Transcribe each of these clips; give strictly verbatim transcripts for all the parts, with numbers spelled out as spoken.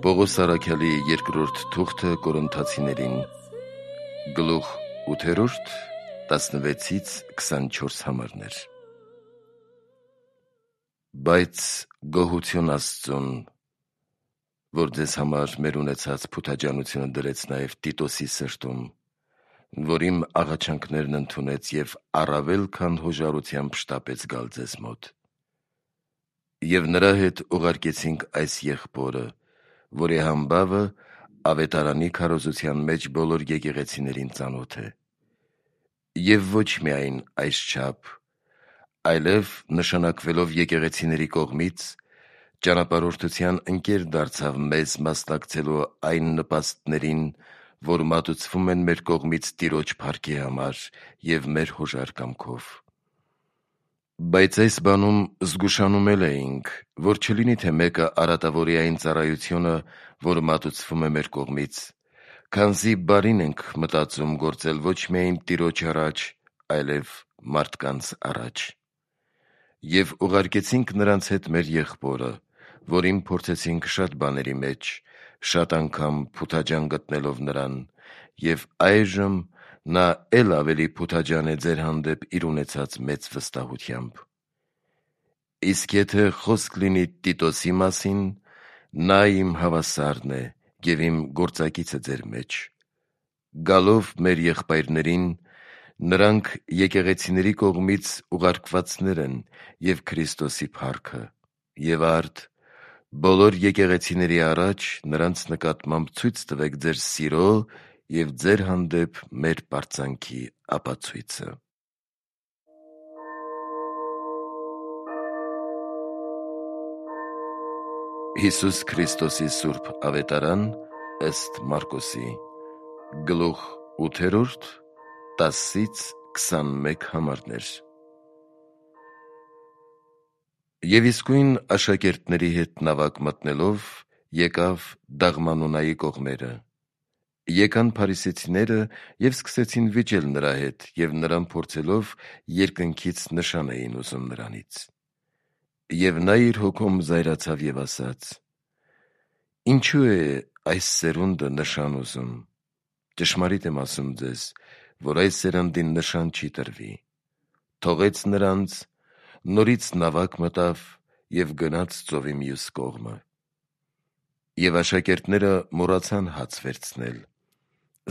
Պողոս Արաքյալի երկրորդ թուղթը Կորինթացիներին, գլուխ ութերորդ, տասնվեցից քսանչորս համարներ։ Բայց գոհություն Աստծուն, որ ձեզ համար մեր ունեցած փութաջանությունը դրեց նաև Տիտոսի սրտում, որ իմ աղաչանքներն ընդունեց և առավել քան հոժարությամբ շտապեց գալ ձեզ մոտ։ Եվ նրա հետ ուղարկեցինք այս եղբորը, որի համբավը ավետարանի քարոզության մեջ բոլոր եկեղեցիներին ծանոթ է։ Եվ ոչ միայն այսչափ, այլև նշանակվելով եկեղեցիների կողմից, ճանապարհորդության ընկեր դարձավ մեզ մասնակցելու այն նպաստներին, որ մատուցվում են մեր կողմից Տիրոջ փառքի համար և մեր հոժար կամքով։ Բայց այս բանում զգուշանում էլ էինք, որ չլինի թե մեկը արատավորի այն ծառայությունը, որ մատուցվում է մեր կողմից, քանզի բարին ենք մտածում գործել ոչ միայն Տիրոջ առաջ, այլև մարդկանց առաջ։ Եվ ուղարկեցինք նրանց հետ մեր եղբորը, որին փորձեցինք շատ բաների մեջ, շատ անգամ փութաջան գտնելով նրան, և այժմ նա էլ ավելի փութաջան է ձեր հանդեպ իր ունեցած մեծ վստահությամբ։ Իսկ եթե խոսք լինի Տիտոսի մասին, նա իմ հավասարն է և իմ գործակիցը ձեր մեջ։ Գալով մեր եղբայրներին, նրանք եկեղեցիների կողմից ուղարկվածներ են և Քրիստոսի փառքը, և արդ բոլոր եկեղեցիների առաջ նրանց նկատմամբ ցույց տվեք ձեր սիրո և ձեր հանդեպ մեր պարծանքի ապացույցը։ Հիսուս Քրիստոսի սուրբ ավետարան ըստ Մարկոսի, գլուխ ութերորդ, տասից քսանմեկ համարներ։ Եվ իսկույն աշակերտների հետ նավակ մտնելով, եկավ Դաղմանոնայի կողմերը։ Եկան փարիսեցիները և սկսեցին վիճել նրա հետ և նրան փորձելով երկնքից նշան էին ուզում նրանից։ Եվ նա իր հոգում զայրացավ և ասաց. «Ինչո՞ւ է այս սերունդը նշան ուզում. ճշմարիտ եմ ասում ձեզ, որ այս սերնդին նշան չի տրվի»։ Թողեց նրանց, նորից նավակ մտավ և գնաց ծովի մյուս կողմը։ Եվ աշակերտները մոռացան հաց վերցնել,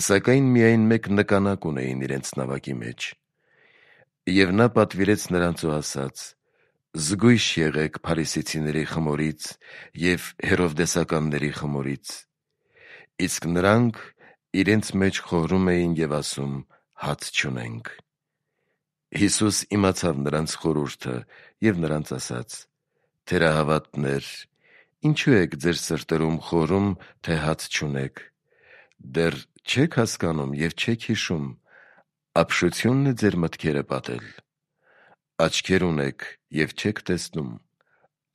սակայն միայն մեկ նկանակ ունեին իրենց նավակի մեջ։ Եվ նա պատվիրեց նրանց ու ասաց. «Զգույշ եղեք փարիսեցիների խմորից և հերովդեսականների խմորից»։ Իսկ նրանք իրենց մեջ խորհում էին և ասում. «Հաց չունենք»։ Հիսուս իմացավ նրանց խորհուրդը և նրանց ասաց. «Թերահավատներ, ինչո՞ւ եք ձեր սրտերում խորհում, թե հաց չունեք. դեռ չե՞ք հասկանում և չե՞ք հիշում. ապշությո՞ւնն է ձեր մտքերը պատել։ Աչքեր ունեք և չեք տեսնում,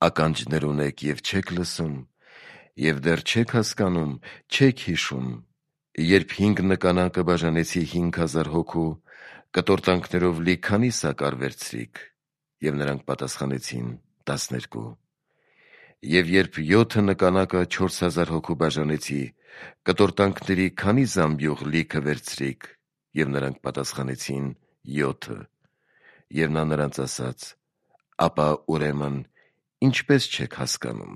ականջներ ունեք և չեք լսում, և դեռ չեք հասկանում, չեք հիշում, երբ հինգ նկանակը բաժանեցի հինգ հազար հոգու, կտորտանքներով լի քանի՞ սակար վերցրիք։ Եվ նրանք պատասխանեցին. տասներկու։ Եվ երբ յոթը նկանակը չորս հազար հոգու բաժանեցի, կտորտանքների քանի՞ զամբյուղ լիքը վերցրիք։ Եվ նրանք պատասխանեցին. յոթը։ Եվ նա նրանց ասաց. «Ապա ուրեմն ինչպե՞ս չեք հասկանում»։